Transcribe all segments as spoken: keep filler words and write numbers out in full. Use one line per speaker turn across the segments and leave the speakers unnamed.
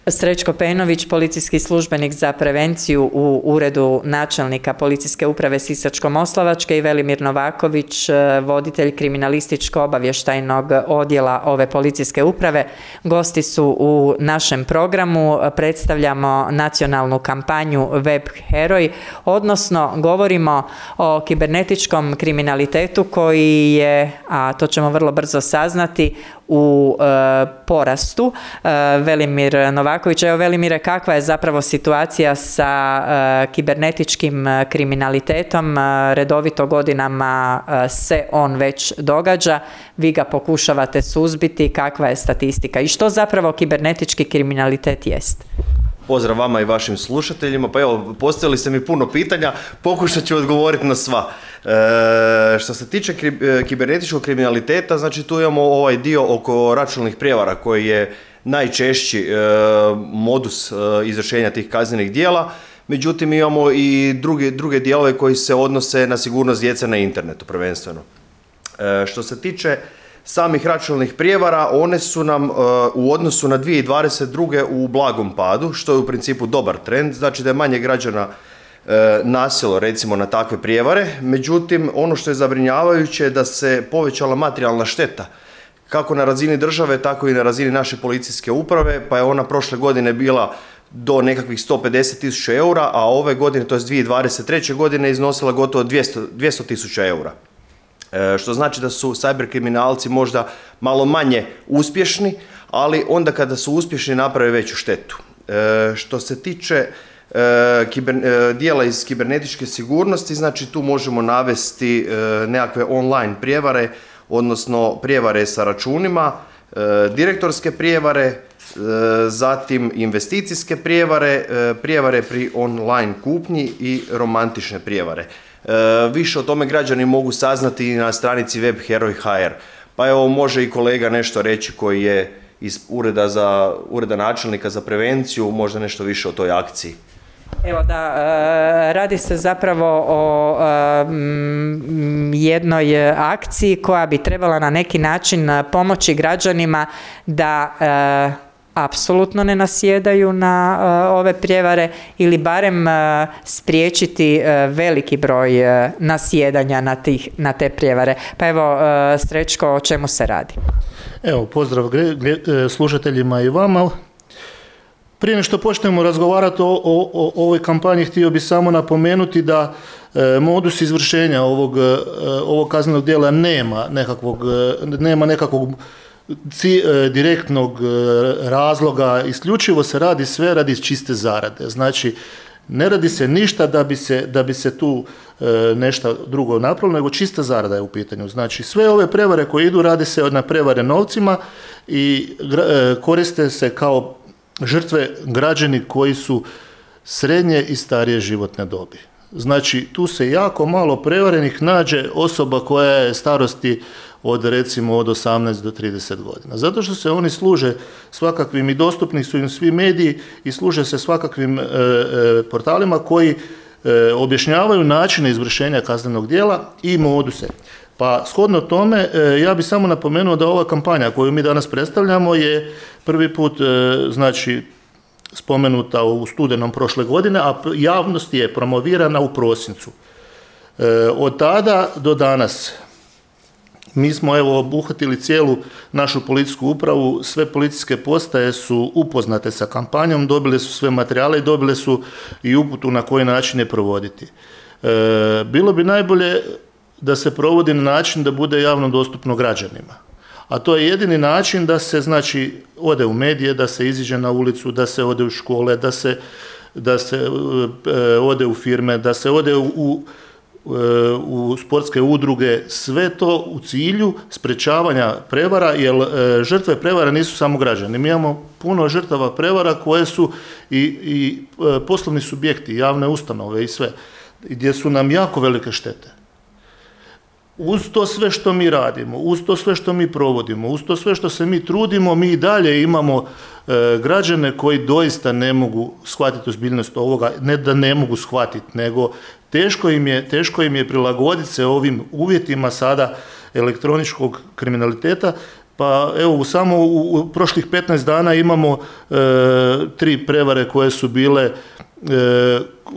Srećko Pejnović, policijski službenik za prevenciju u Uredu načelnika Policijske uprave Sisačko-moslavačke i Velimir Novaković, voditelj kriminalističko-obavještajnog odjela ove policijske uprave. Gosti su u našem programu, predstavljamo nacionalnu kampanju Web Heroj, odnosno govorimo o kibernetičkom kriminalitetu koji je, a to ćemo vrlo brzo saznati, u e, porastu. E, Velimir Novaković, evo Velimire, kakva je zapravo situacija sa e, kibernetičkim kriminalitetom? E, redovito godinama e, se on već događa, vi ga pokušavate suzbiti, kakva je statistika i što zapravo kibernetički kriminalitet jest?
Pozdrav vama i vašim slušateljima. Pa evo, postavili ste mi puno pitanja, pokušat ću odgovoriti na sva. E, što se tiče kri, kibernetičkog kriminaliteta, znači tu imamo ovaj dio oko računalnih prijevara koji je najčešći e, modus e, izvršenja tih kaznenih djela. Međutim, imamo i druge, druge dijelove koji se odnose na sigurnost djece na internetu prvenstveno. E, što se tiče samih računalnih prijevara, one su nam uh, u odnosu na dvije tisuće dvadeset druge u blagom padu, što je u principu dobar trend, znači da je manje građana uh, nasjelo recimo na takve prijevare. Međutim, ono što je zabrinjavajuće je da se povećala materijalna šteta, kako na razini države, tako i na razini naše policijske uprave, pa je ona prošle godine bila do nekakvih sto pedeset tisuća eura, a ove godine, to je dvije tisuće dvadeset treće godine, iznosila gotovo dvjesto tisuća eura. E, što znači da su cyber kriminalci možda malo manje uspješni, ali onda kada su uspješni naprave veću štetu. E, što se tiče e, kiber, e, dijela iz kibernetičke sigurnosti, znači tu možemo navesti e, nekakve online prijevare, odnosno prijevare sa računima, e, direktorske prijevare, e, zatim investicijske prijevare, e, prijevare pri online kupnji i romantične prijevare. E, više o tome građani mogu saznati na stranici web heroj tačka h r. Pa evo, može i kolega nešto reći koji je iz ureda, za, ureda načelnika za prevenciju, možda nešto više o toj akciji.
Evo da, radi se zapravo o jednoj akciji koja bi trebala na neki način pomoći građanima da apsolutno ne nasjedaju na uh, ove prijevare ili barem uh, spriječiti uh, veliki broj uh, nasjedanja na, tih, na te prijevare. Pa evo, uh, Srećko, o čemu se radi?
Evo, pozdrav slušateljima i vama. Prije nego što počnemo razgovarati o, o, o ovoj kampanji, htio bih samo napomenuti da e, modus izvršenja ovog, e, ovog kaznenog djela nema nekakvog, e, nema nekakvog Ci, e, direktnog e, razloga, isključivo se radi sve radi čiste zarade. Znači, ne radi se ništa da bi se, da bi se tu e, nešto drugo napravilo, nego čista zarada je u pitanju. Znači, sve ove prevare koje idu, radi se na prevare novcima i e, koriste se kao žrtve građani koji su srednje i starije životne dobi. Znači, tu se jako malo prevarenih nađe osoba koja je starosti od recimo od osamnaest do trideset godina. Zato što se oni služe svakakvim i dostupni su im svi mediji i služe se svakakvim e, e, portalima koji e, objašnjavaju načine izvršenja kaznenog djela i moduse. Pa shodno tome, e, ja bih samo napomenuo da ova kampanja koju mi danas predstavljamo je prvi put e, znači spomenuta u studenom prošle godine, a javnost je promovirana u prosincu. E, od tada do danas mi smo evo obuhvatili cijelu našu policijsku upravu, sve policijske postaje su upoznate sa kampanjom, dobile su sve materijale i dobile su i uputu na koji način je provoditi. E, bilo bi najbolje da se provodi na način da bude javno dostupno građanima. A to je jedini način da se, znači, ode u medije, da se iziđe na ulicu, da se ode u škole, da se, da se e, ode u firme, da se ode u, u u sportske udruge, sve to u cilju sprečavanja prevara, jer e, žrtve prevara nisu samo građani. Mi imamo puno žrtava prevara koje su i, i e, poslovni subjekti, javne ustanove i sve, gdje su nam jako velike štete. Uz to sve što mi radimo, uz to sve što mi provodimo, uz to sve što se mi trudimo, mi i dalje imamo e, građane koji doista ne mogu shvatiti ozbiljnost ovoga, ne da ne mogu shvatiti, nego teško im je, teško im je prilagoditi se ovim uvjetima sada elektroničkog kriminaliteta, Pa evo, samo u, u prošlih petnaest dana imamo e, tri prevare koje su bile e,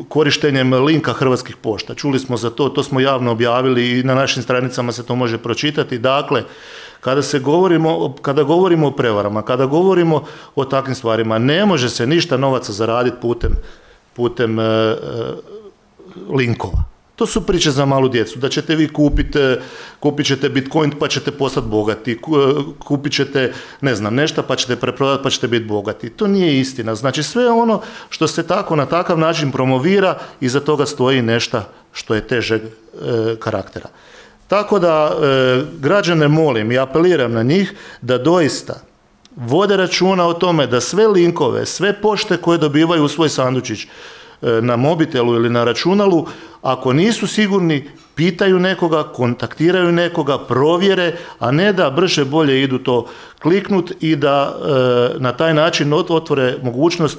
korištenjem linka Hrvatskih pošta. Čuli smo za to, to smo javno objavili i na našim stranicama se to može pročitati. Dakle, kada se govorimo, kada govorimo o prevarama, kada govorimo o takvim stvarima, ne može se ništa novaca zaraditi putem, putem e, e, linkova. To su priče za malu djecu, da ćete vi kupiti, kupit ćete Bitcoin pa ćete postati bogati, kupit ćete ne znam nešto pa ćete preprodati pa ćete biti bogati. To nije istina. Znači sve ono što se tako na takav način promovira, iza toga stoji nešto što je težeg e, karaktera. Tako da e, građane molim i apeliram na njih da doista vode računa o tome da sve linkove, sve pošte koje dobivaju u svoj sandučić na mobitelu ili na računalu, ako nisu sigurni, pitaju nekoga, kontaktiraju nekoga, provjere, a ne da brže bolje idu to kliknut i da e, na taj način otvore mogućnost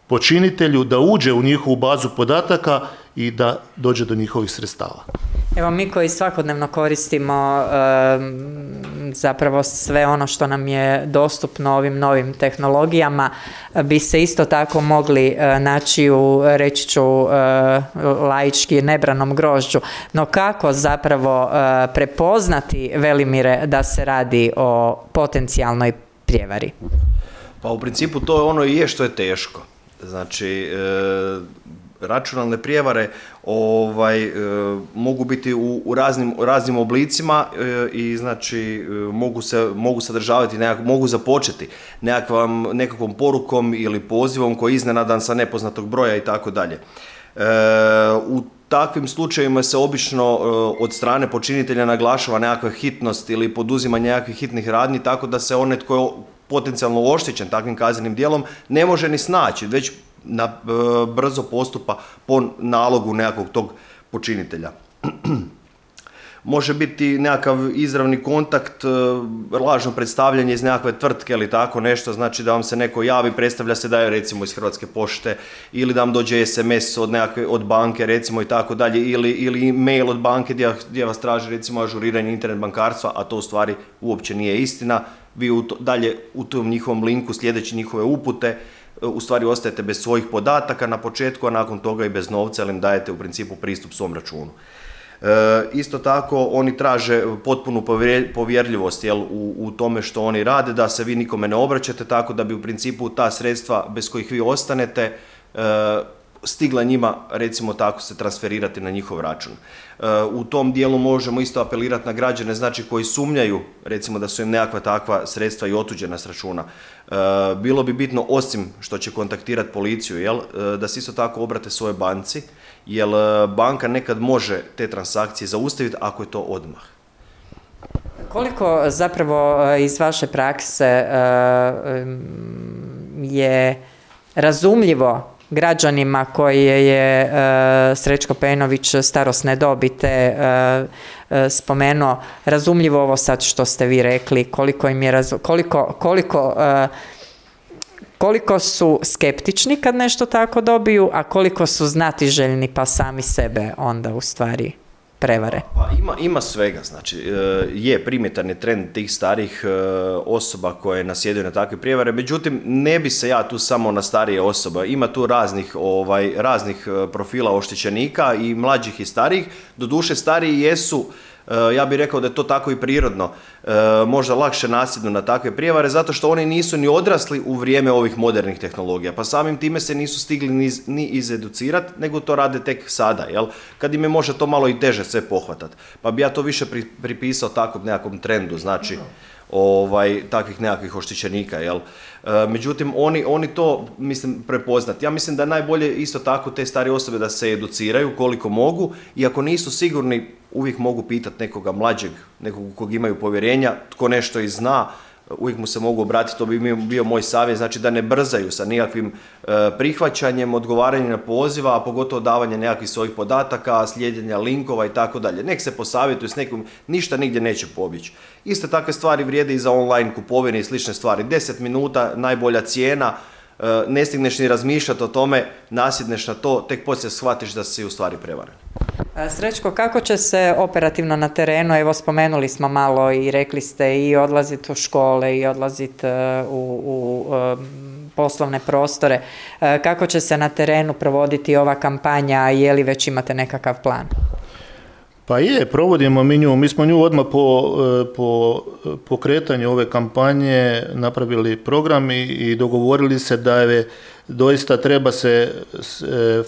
počinitelju da uđe u njihovu bazu podataka i da dođe do njihovih sredstava.
Evo, mi koji svakodnevno koristimo e, zapravo sve ono što nam je dostupno ovim novim tehnologijama, bi se isto tako mogli e, naći u, reći ću, e, laički nebranom grožđu. No kako zapravo e, prepoznati, Velimire, da se radi o potencijalnoj prijevari?
Pa u principu to je ono i je što je teško. Znači, e, računalne prijevare ovaj, e, mogu biti u, u raznim, raznim oblicima e, i znači e, mogu, se, mogu sadržavati, nekak, mogu započeti nekakvom, nekakvom porukom ili pozivom koji je iznenadan sa nepoznatog broja i tako dalje. U takvim slučajevima se obično e, od strane počinitelja naglašava nekakva hitnost ili poduzimanje nekakvih hitnih radnji, tako da se onaj tko je potencijalno oštećen takvim kaznenim djelom ne može ni snaći, već na, e, brzo postupa po nalogu nekakvog tog počinitelja. Može biti nekakav izravni kontakt, lažno predstavljanje iz nekakve tvrtke ili tako nešto, znači da vam se neko javi, predstavlja se da je recimo iz Hrvatske pošte, ili da vam dođe es em es od, nekakve, od banke recimo i tako dalje, ili, ili mail od banke gdje, gdje vas traži recimo ažuriranje internet bankarstva, a to u stvari uopće nije istina. Vi u to, dalje u tom njihovom linku sljedeći njihove upute u stvari ostajete bez svojih podataka na početku, a nakon toga i bez novca, jer im dajete u principu pristup svom računu. E, isto tako oni traže potpunu povjerljivost jel, u, u tome što oni rade, da se vi nikome ne obraćate, tako da bi u principu ta sredstva bez kojih vi ostanete e, stigla njima, recimo tako, se transferirati na njihov račun. E, u tom dijelu možemo isto apelirati na građane, znači koji sumnjaju recimo da su im nekakva takva sredstva i otuđena s računa. E, bilo bi bitno, osim što će kontaktirati policiju, jel, da se isto tako obrate svojoj banci, jer banka nekad može te transakcije zaustaviti ako je to odmah.
Koliko zapravo iz vaše prakse je razumljivo građanima koje je Srećko Pejnović starosne dobi te spomenuo, razumljivo ovo sad što ste vi rekli, koliko im je razum, koliko, koliko koliko su skeptični kad nešto tako dobiju, a koliko su znatiželjni pa sami sebe onda u stvari prevare?
Pa ima, ima svega, znači je primjetan je trend tih starih osoba koje nasjedaju na takve prijevare, međutim ne bi se ja tu samo na starije osobe, ima tu raznih, ovaj, raznih profila oštećenika i mlađih i starijih, doduše stariji jesu, ja bih rekao da je to tako i prirodno, možda lakše nasjednu na takve prijevare, zato što oni nisu ni odrasli u vrijeme ovih modernih tehnologija, pa samim time se nisu stigli ni, ni izeducirati, nego to rade tek sada, jel? Kad im je možda to malo i teže sve pohvatati. Pa bi ja to više pri, pripisao takvom nekakvom trendu, znači ovaj, takvih nekakvih oštećenika, jel? E, međutim, oni, oni to, mislim, prepoznati. Ja mislim da najbolje isto tako te starije osobe da se educiraju koliko mogu i ako nisu sigurni, uvijek mogu pitati nekoga mlađeg, nekog kog imaju povjerenja, tko nešto i zna, uvijek mu se mogu obratiti, to bi bio moj savjet, znači da ne brzaju sa nikakvim e, prihvaćanjem, odgovaranjem na poziva, a pogotovo davanje nekakvih svojih podataka, slijedjenja linkova i tako dalje. Nek se posavjetuju s nekim, ništa nigdje neće pobjeći. Iste takve stvari vrijede i za online kupovine i slične stvari. deset minuta, najbolja cijena, e, ne stigneš ni razmišljati o tome, nasjedneš na to, tek poslije shvatiš da si u stvari prevaren.
Srećko, kako će se operativno na terenu, evo spomenuli smo malo i rekli ste i odlaziti u škole i odlaziti u, u poslovne prostore, kako će se na terenu provoditi ova kampanja, je li već imate nekakav plan?
Pa je, provodimo mi nju. Mi smo nju odmah po, po pokretanju ove kampanje napravili program i, i dogovorili se da je doista treba se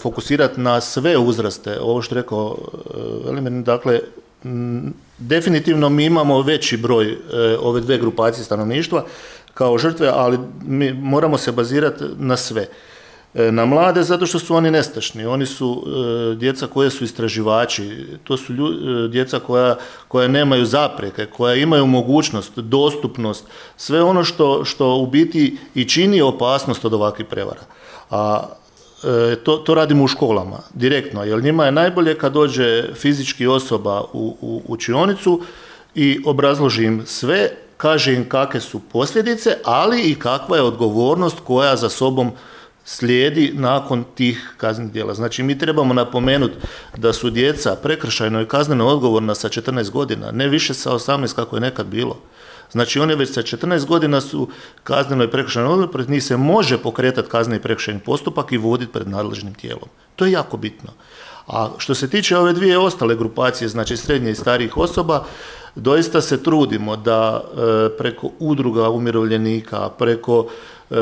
fokusirati na sve uzraste. Ovo što je rekao Velimir, dakle, definitivno mi imamo veći broj ove dve grupacije stanovništva kao žrtve, ali mi moramo se bazirati na sve. Na mlade zato što su oni nestašni, oni su e, djeca koje su istraživači, to su lju, e, djeca koja, koja nemaju zapreke, koja imaju mogućnost, dostupnost, sve ono što, što u biti i čini opasnost od ovakvih prevara. A e, to, to radimo u školama, direktno, jer njima je najbolje kad dođe fizički osoba u, u učionicu i obrazloži im sve, kaže im kakve su posljedice, ali i kakva je odgovornost koja za sobom slijedi nakon tih kaznenih djela. Znači, mi trebamo napomenuti da su djeca prekršajno i kazneno odgovorna sa četrnaest godina, ne više sa osamnaest kako je nekad bilo. Znači, one već sa četrnaest godina su kazneno i prekršajno odgovorne, protiv njih se može pokretati kazneni i prekršajni postupak i voditi pred nadležnim tijelom. To je jako bitno. A što se tiče ove dvije ostale grupacije, znači srednje i starijih osoba, doista se trudimo da e, preko udruga umirovljenika, preko e,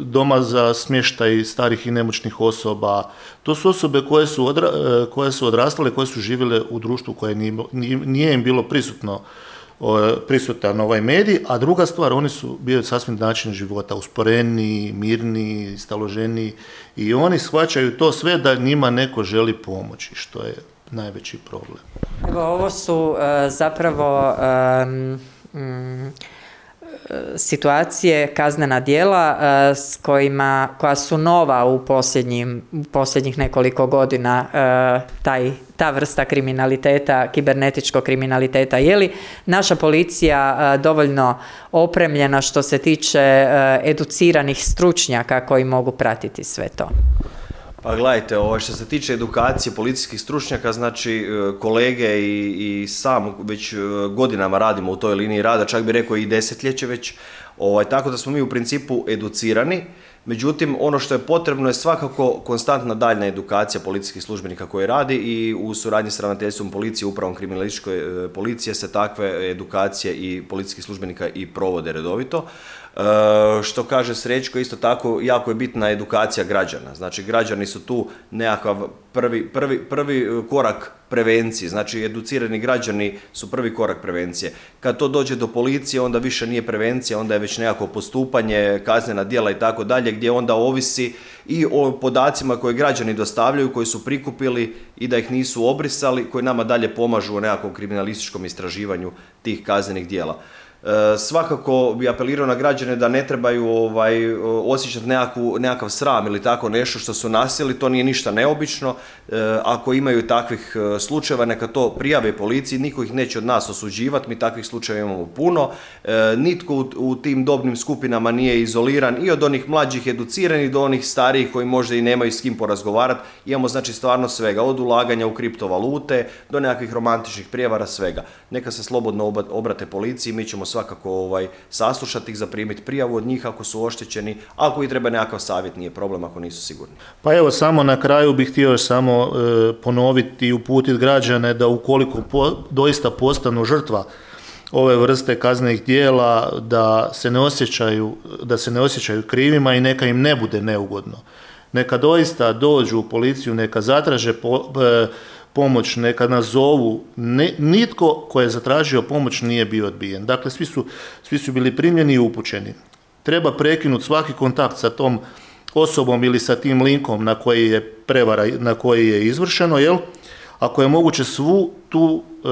doma za smještaj starih i nemoćnih osoba, to su osobe koje su, odra, e, koje su odrastale, koje su živjele u društvu koje nije, nije im bilo prisutno, o, prisutan ovaj medij, a druga stvar, oni su bili sasvim način života, usporeniji, mirniji, staloženiji i oni shvaćaju to sve da njima neko želi pomoći, što je najveći problem.
Evo, ovo su uh, zapravo um, um, situacije, kaznena djela uh, s kojima, koja su nova u posljednjim, u posljednjih nekoliko godina, uh, taj, ta vrsta kriminaliteta, kibernetičkog kriminaliteta. Je li naša policija uh, dovoljno opremljena što se tiče uh, educiranih stručnjaka koji mogu pratiti sve to?
Pa gledajte, ovo što se tiče edukacije policijskih stručnjaka, znači kolege i, i sam već godinama radimo u toj liniji rada, čak bi rekao i desetljeće već, ovaj, tako da smo mi u principu educirani. Međutim, ono što je potrebno je svakako konstantna daljna edukacija policijskih službenika koji radi i u suradnji s ravnateljstvom policije, upravom kriminalističke policije se takve edukacije i policijskih službenika i provode redovito. E, što kaže Srećko, isto tako jako je bitna edukacija građana. Znači, građani su tu nekakav prvi, prvi, prvi korak prevencije, znači educirani građani su prvi korak prevencije. Kad to dođe do policije, onda više nije prevencija, onda je već nekako postupanje, kaznena djela i tako dalje, gdje onda ovisi i o podacima koje građani dostavljaju, koji su prikupili i da ih nisu obrisali, koji nama dalje pomažu u nekakvom kriminalističkom istraživanju tih kaznenih djela. E, svakako bi apelirao na građane da ne trebaju ovaj, osjećati nekakvu, nekakav sram ili tako nešto što su nasjeli, to nije ništa neobično. E, ako imaju takvih slučajeva, neka to prijave policiji, niko ih neće od nas osuđivati, mi takvih slučajeva imamo puno. E, nitko u, u tim dobnim skupinama nije izoliran i od onih mlađih educiranih do onih starijih koji možda i nemaju s kim porazgovarati. Imamo znači stvarno svega, od ulaganja u kriptovalute do nekakvih romantičnih prijevara, svega. Neka se slobodno obrate policiji, mi ćemo svakako ovaj, saslušati ih, zaprimiti prijavu od njih ako su oštećeni, ako i treba nekakav savjet, nije problem ako nisu sigurni.
Pa evo, samo na kraju bih htio samo e, ponoviti i uputiti građane da ukoliko po, doista postanu žrtva ove vrste kaznenih djela, da se ne osjećaju, da se ne osjećaju krivima i neka im ne bude neugodno. Neka doista dođu u policiju, neka zatraže po, e, pomoć, neka nazovu, ne, nitko ko je zatražio pomoć nije bio odbijen. Dakle, svi su, svi su bili primljeni i upućeni. Treba prekinuti svaki kontakt sa tom osobom ili sa tim linkom na koji je prevara, na koji je izvršeno, jel? Ako je moguće svu tu e,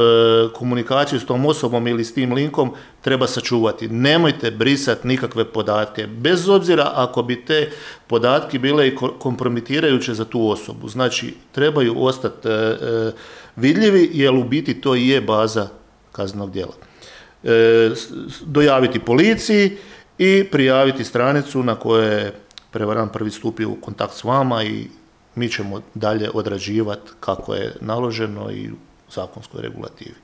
komunikaciju s tom osobom ili s tim linkom treba sačuvati. Nemojte brisati nikakve podatke, bez obzira ako bi te podatke bile i kompromitirajuće za tu osobu. Znači, trebaju ostati e, e, vidljivi, jer u biti to i je baza kaznenog djela. E, dojaviti policiji i prijaviti stranicu na kojoj je prevarant prvi stupio u kontakt s vama i mi ćemo dalje odrađivati kako je naloženo i u zakonskoj regulativi.